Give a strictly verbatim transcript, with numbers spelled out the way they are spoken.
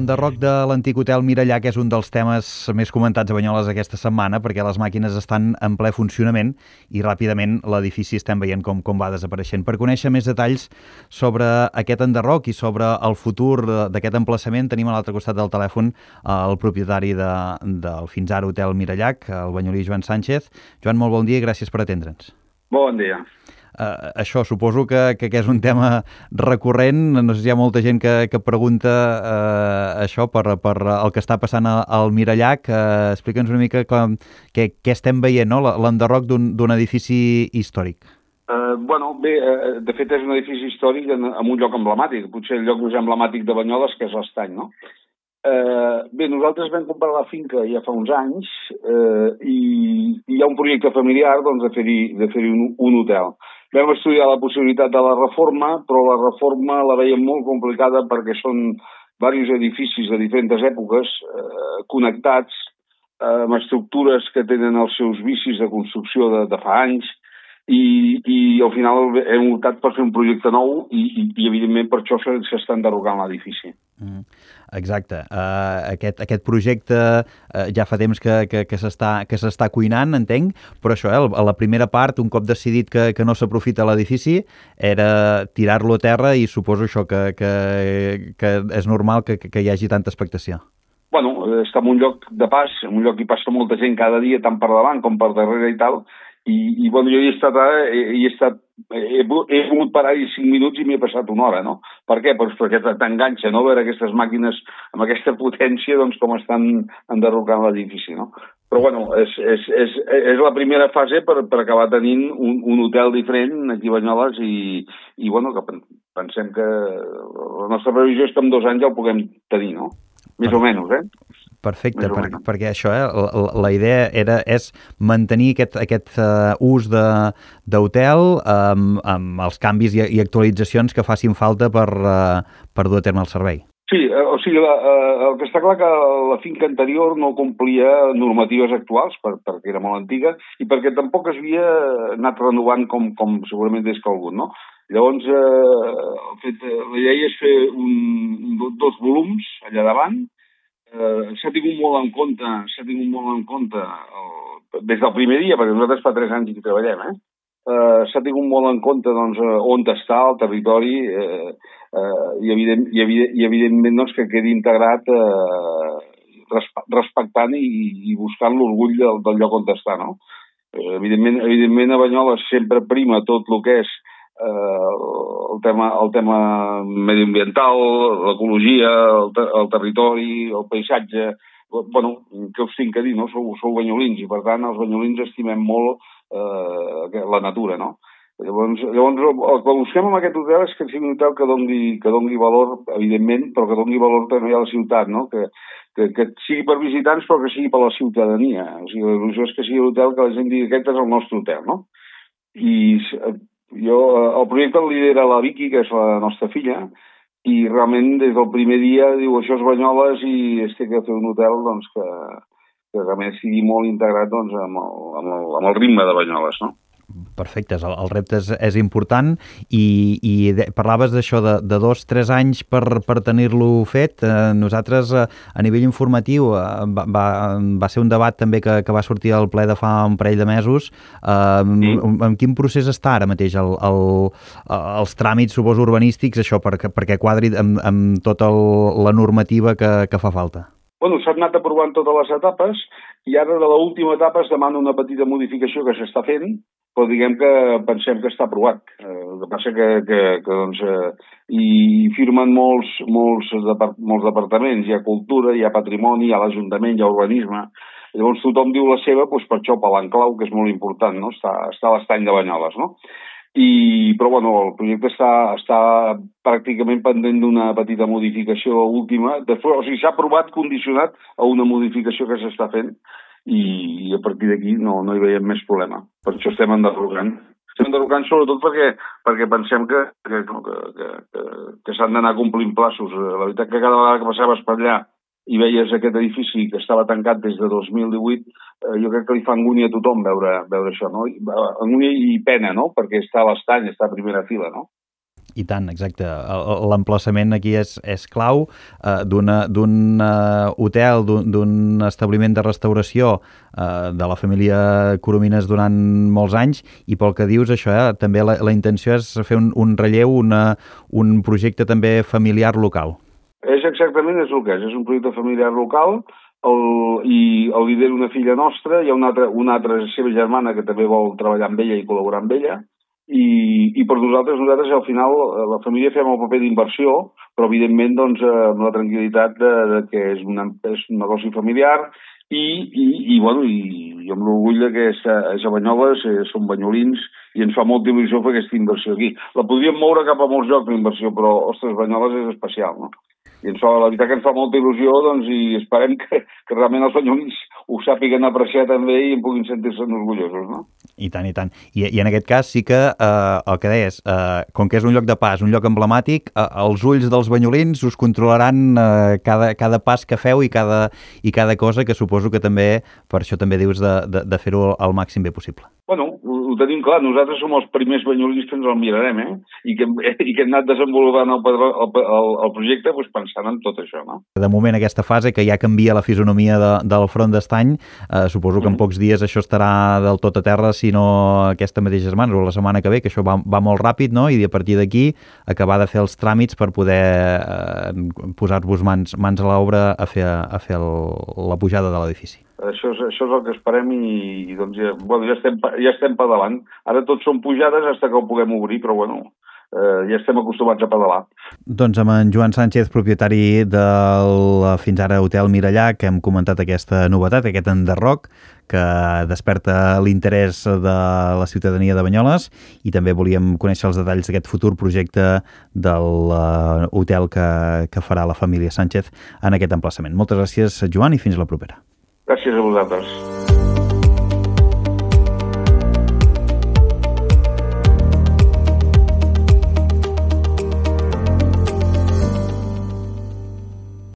L'enderroc de l'antic hotel Mirallac és un dels temes més comentats a Banyoles aquesta setmana perquè les màquines estan en ple funcionament i ràpidament l'edifici estem veient com, com va desapareixent. Per conèixer més detalls sobre aquest enderroc i sobre el futur d'aquest emplaçament tenim a l'altre costat del telèfon el propietari de, del fins ara hotel Mirallac, el banyolí Joan Sánchez. Joan, molt bon dia i gràcies per atendre'ns. Bon dia. Uh, això, suposo que, que, que és un tema recurrent. No sé si hi ha molta gent que, que pregunta uh, això per, per el que està passant al Mirallac. Uh, Explica'ns una mica com, què, què estem veient, no? L'enderroc d'un edifici històric. Uh, bueno, bé, uh, de fet és un edifici històric en, en un lloc emblemàtic, potser el lloc més emblemàtic de Banyoles, que és l'Estany, no? Uh, bé, nosaltres vam comprar la finca ja fa uns anys uh, i, i hi ha un projecte familiar doncs, de fer-hi de fer-hi un, un hotel. Vam estudiar la possibilitat de la reforma, però la reforma la veiem molt complicada perquè són diversos edificis de diferents èpoques eh, connectats eh, amb estructures que tenen els seus vicis de construcció de, de fa anys i, i al final hem optat per fer un projecte nou i, i, i evidentment per això s'està enderrocant l'edifici. Mm, exacte. Uh, aquest, aquest projecte uh, ja fa temps que, que, que s'està cuinant, entenc, però això, eh, a la primera part, un cop decidit que, que no s'aprofita l'edifici, era tirar-lo a terra i suposo això que, que, que és normal que, que hi hagi tanta expectació. Bueno, està en un lloc de pas, en un lloc hi passa molta gent cada dia, tant per davant com per darrere i tal, i, i bueno, jo hi he estat, he, he estat he, he volgut parar-hi cinc minuts i m'he passat una hora, no? Per què? Pues perquè t'enganxa, no?, veure aquestes màquines amb aquesta potència, doncs, com estan enderrocant l'edifici, no? Però, bueno, és, és, és, és la primera fase per, per acabar tenint un, un hotel diferent aquí a Banyoles i, i bueno, que pensem que la nostra previsió és que en dos anys ja ho puguem tenir, no? Més o menys, eh? Perfecte, per, perquè això, eh, la, la idea era, és mantenir aquest, aquest uh, ús d'hotel amb, amb els canvis i, i actualitzacions que facin falta per, uh, per dur a terme el servei. Sí, eh, o sigui, la, eh, el que està clar que la finca anterior no complia normatives actuals per, perquè era molt antiga i perquè tampoc es havia anat renovant com, com segurament des que algun, no? Llavors, eh, fet, la idea és fer un, dos volums allà davant. Eh, s'ha tingut molt en compte, s'ha tingut molt en compte el, des del primer dia, perquè nosaltres fa tres anys que treballem, eh? Eh, s'ha tingut molt en compte doncs, on està el territori eh, eh, i, evident, i, evident, i evidentment doncs, que quedi integrat eh, respectant i, i buscant l'orgull del, del lloc on està, no? Eh, evidentment, evidentment a Banyoles sempre prima tot el que és eh, el tema, el tema mediambiental, l'ecologia, el, ter el territori, el paisatge. Bueno, què us tinc a dir, no? Sou, sou banyolins i per tant els banyolins estimem molt eh, la natura, no? Llavors, llavors el que busquem en aquest hotel és que sigui un hotel que doni, que doni valor, evidentment, però que doni valor també a la ciutat, no? Que, que, que sigui per visitants però que sigui per la ciutadania. O sigui, la il·lusió és que sigui l'hotel que la gent digui aquest és el nostre hotel, no? I jo, el projecte el lidera la Vicky, que és la nostra filla, i realment des del primer dia diu això és Banyoles i es té que fer un hotel doncs, que, que realment sigui molt integrat doncs, amb, el, amb, el, amb el ritme de Banyoles, no? Perfecte, el, el repte és, és important i, i de, parlaves d'això de, de dos, tres anys per, per tenir-lo fet. Eh, nosaltres eh, a nivell informatiu eh, va, va, va ser un debat també que, que va sortir al ple de fa un parell de mesos. Eh, sí. en, en quin procés està ara mateix el, el, els tràmits, suposo, urbanístics, això, perquè, perquè quadri amb, amb tota el, la normativa que, que fa falta? Bueno, s'han anat aprovant totes les etapes i ara de l'última etapa es demana una petita modificació que s'està fent, però diguem que pensem que està aprovat. Eh, el que passa que, que, que doncs, eh, hi firmen molts, molts, depart molts departaments, hi ha cultura, hi ha patrimoni, hi ha l'Ajuntament, hi ha urbanisme. Llavors tothom diu la seva, doncs per això, per l'enclau, que és molt important, no? Està, està a l'Estany de Banyoles, no? I, però bueno, el projecte està, està pràcticament pendent d'una petita modificació última. Després, o sigui, s'ha aprovat condicionat a una modificació que s'està fent i, i a partir d'aquí no, no hi veiem més problema. Per això estem enderrocant. Estem enderrocant sobretot perquè, perquè pensem que, que, que, que, que, que s'han d'anar complint plaços. La veritat que cada vegada que passaves per allà i veies aquest edifici que estava tancat des de dos mil divuit, eh, jo crec que li fa angúnia a tothom veure, veure això, no? Angúnia i pena, no? Perquè està a l'Estany, està a primera fila, no? I tant, exacte. L'emplaçament aquí és, és clau eh, d'un uh, hotel, d'un establiment de restauració eh, de la família Coromines durant molts anys, i pel que dius això, eh, també la, la intenció és fer un, un relleu, una, un projecte també familiar local. És exactament és el que és, és un projecte familiar local, el, i el lidera una filla nostra, hi ha una altra, una altra seva germana que també vol treballar amb ella i col·laborar amb ella, I, i per nosaltres, nosaltres al final la família fem el paper d'inversió, però evidentment doncs, amb la tranquil·litat de, de que és, una, és un negoci familiar i, i, i, bueno, i, i amb l'orgull que és, és a Banyoles, som banyolins i ens fa molta il·lusió fer aquesta inversió aquí. La podríem moure cap a molts llocs la inversió, però, ostres, Banyoles és especial, no? I ens fa, la veritat que ens fa molta il·lusió, doncs, i esperem que, que realment els banyolins ho sàpiguen apreciar també i en puguin sentir-se'n orgullosos, no? I tant, i tant. I, i en aquest cas sí que eh, el que deies, eh, com que és un lloc de pas, un lloc emblemàtic, eh, els ulls dels banyolins us controlaran eh, cada, cada pas que feu i cada, i cada cosa, que suposo que també, per això també dius de, de, de fer-ho al màxim bé possible. Bueno, ho, ho tenim clar, nosaltres som els primers banyolins que ens el mirarem, eh? I que, i que hem anat desenvolupant el, el, el, el projecte doncs, pensant en tot això, no? De moment, aquesta fase que ja canvia la fisonomia de, del front d'Estany, eh, suposo que en pocs dies això estarà del tot a terra, si no aquesta mateixa setmana o la setmana que ve, que això va, va molt ràpid, no? I a partir d'aquí acabar de fer els tràmits per poder eh, posar-vos mans, mans a l'obra a fer, a fer el, la pujada de l'edifici. Això és, això és el que esperem i, i doncs ja, bueno, ja, estem, ja estem pedalant. Ara tots són pujades fins que ho puguem obrir, però bueno, eh, ja estem acostumats a pedalar. Doncs amb en Joan Sánchez, propietari del fins ara Hotel Mirallà, que hem comentat aquesta novetat, aquest enderroc, que desperta l'interès de la ciutadania de Banyoles, i també volíem conèixer els detalls d'aquest futur projecte del uh, hotel que, que farà la família Sánchez en aquest emplaçament. Moltes gràcies, Joan, i fins la propera. Gràcies a vosaltres.